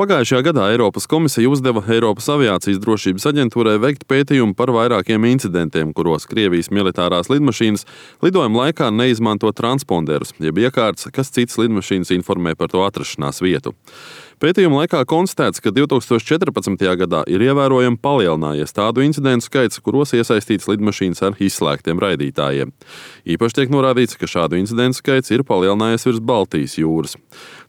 Pagājušajā gadā Eiropas komisija uzdeva Eiropas aviācijas drošības aģentūrai veikt pētījumu par vairākiem incidentiem, kuros Krievijas militārās lidmašīnas lidojuma laikā neizmanto transponderus, jeb iekārtas, kas citas lidmašīnas informē par to atrašanās vietu. Pētījuma laikā konstatēts, ka 2014. gadā ir ievērojami palielinājies tādu incidentu skaits, kuros iesaistīts lidmašīnas ar izslēgtiem raidītājiem. Īpaši tiek norādīts, ka šādu incidentu skaits ir palielinājies virs Baltijas jūras.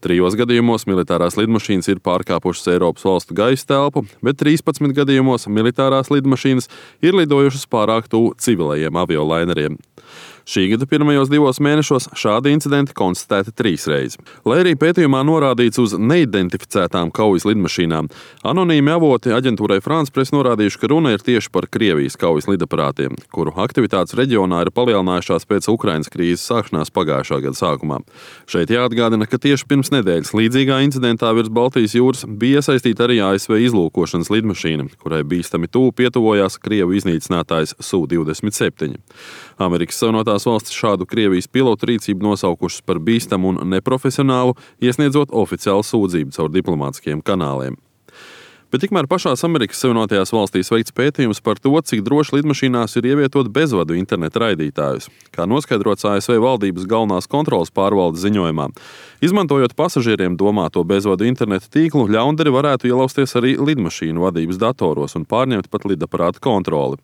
3 gadījumos militārās lidmašīnas ir pārkāpušas Eiropas valstu gaisa telpu, bet 13 gadījumos militārās lidmašīnas ir lidojušas pārāk tuvu civilajiem aviolaineriem. Šī gada pirmajos 2 mēnešos šādi incidenti konstatēti 3 reizes. Lai arī pētījumā norādīts uz neidentificētām kaujas lidmašīnām, anonīmi avoti aģentūrai France Press norādījuši, ka runa ir tieši par Krievijas kaujas lidaparātiem, kuru aktivitātes reģionā ir palielinājušās pēc Ukrainas krīzes sākšanās pagājušā gada sākumā. Šeit jāatgādina, ka tieši pirms nedēļas līdzīgā incidentā virs Baltijas jūras bija iesaistīta arī ASV izlūkošanas lidmašīna, kurai bīstami tuvu pietuvojās Krievu iznīcinātājs Su-27. Amerikas Savienotās valstis šādu Krievijas pilotu rīcību nosaukušas par bīstamu un neprofesionālu, iesniedzot oficiālu sūdzību caur diplomātiskiem kanāliem. Bet tikmēr pašās Amerikas Savienotajās valstīs veikts pētījums par to, cik droši lidmašīnās ir ievietot bezvadu interneta raidītājus, kā noskaidrots ASV valdības galvenās kontroles pārvaldes ziņojumā. Izmantojot pasažieriem domāto bezvadu interneta tīklu, ļaundari varētu ielausties arī lidmašīnu vadības datoros un pārņemt pat lidaparāta kontroli.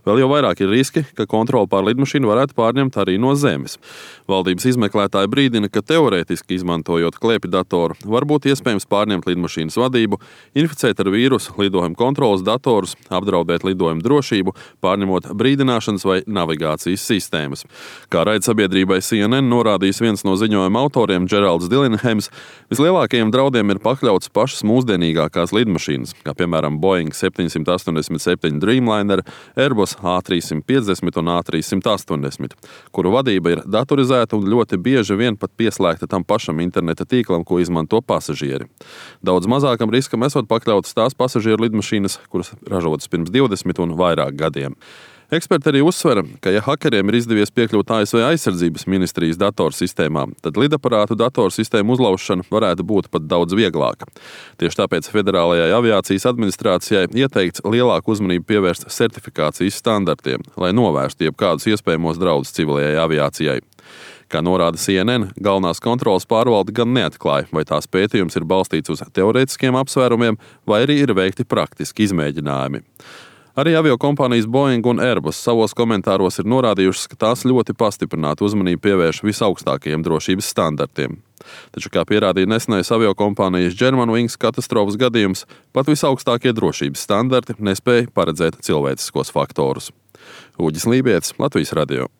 Vēl jau vairāk ir riski, ka kontroli pār lidmašīnu varētu pārņemt arī no zemes. Valdības izmeklētāji brīdina, ka teorētiski izmantojot klēpju datoru, var būt iespējams pārņemt lidmašīnas vadību, inficēt ar vīrusu lidojuma kontroles datorus, apdraudēt lidojuma drošību, pārņemot brīdināšanas vai navigācijas sistēmas. Kā raidsabiedrībai CNN norādījis viens no ziņojuma autoriem, Džeralds Dillinghams, vislielākajiem draudiem ir pakļauts pašas mūsdienīgākās lidmašīnas, kā piemēram Boeing 787 Dreamliner, Airbus A350 un A380, kuru vadība ir datorizēta un ļoti bieži vien pat pieslēgta tam pašam interneta tīklam, ko izmanto pasažieri. Daudz mazākam riskam esot pakļautas tās pasažieru lidmašīnas, kuras ražotas pirms 20 un vairāk gadiem. Eksperti arī uzsver, ka ja hakeriem ir izdevies piekļūt ASV aizsardzības ministrijas datorsistēmām, tad lidaparātu datorsistēmu uzlaušana varētu būt pat daudz vieglāka. Tieši tāpēc Federālajai aviācijas administrācijai ieteikts lielāku uzmanību pievērst certifikācijas standartiem, lai novērstu jebkādus iespējamos draudus civilajai aviācijai. Kā norāda CNN, galvenās kontroles pārvalde gan neatklāja, vai tās pētījums ir balstīts uz teorētiskiem apsvērumiem, vai arī ir veikti praktiski izmēģinājumi. Arī aviokompānijas Boeing un Airbus savos komentāros ir norādījušas, ka tās ļoti pastiprinātu uzmanību pievērš visaugstākajiem drošības standartiem. Taču, kā pierādīja nesenais aviokompānijas Germanwings katastrofas gadījums, pat visaugstākie drošības standarti nespēja paredzēt cilvēciskos faktorus. Uģis Lībietis, Latvijas radio.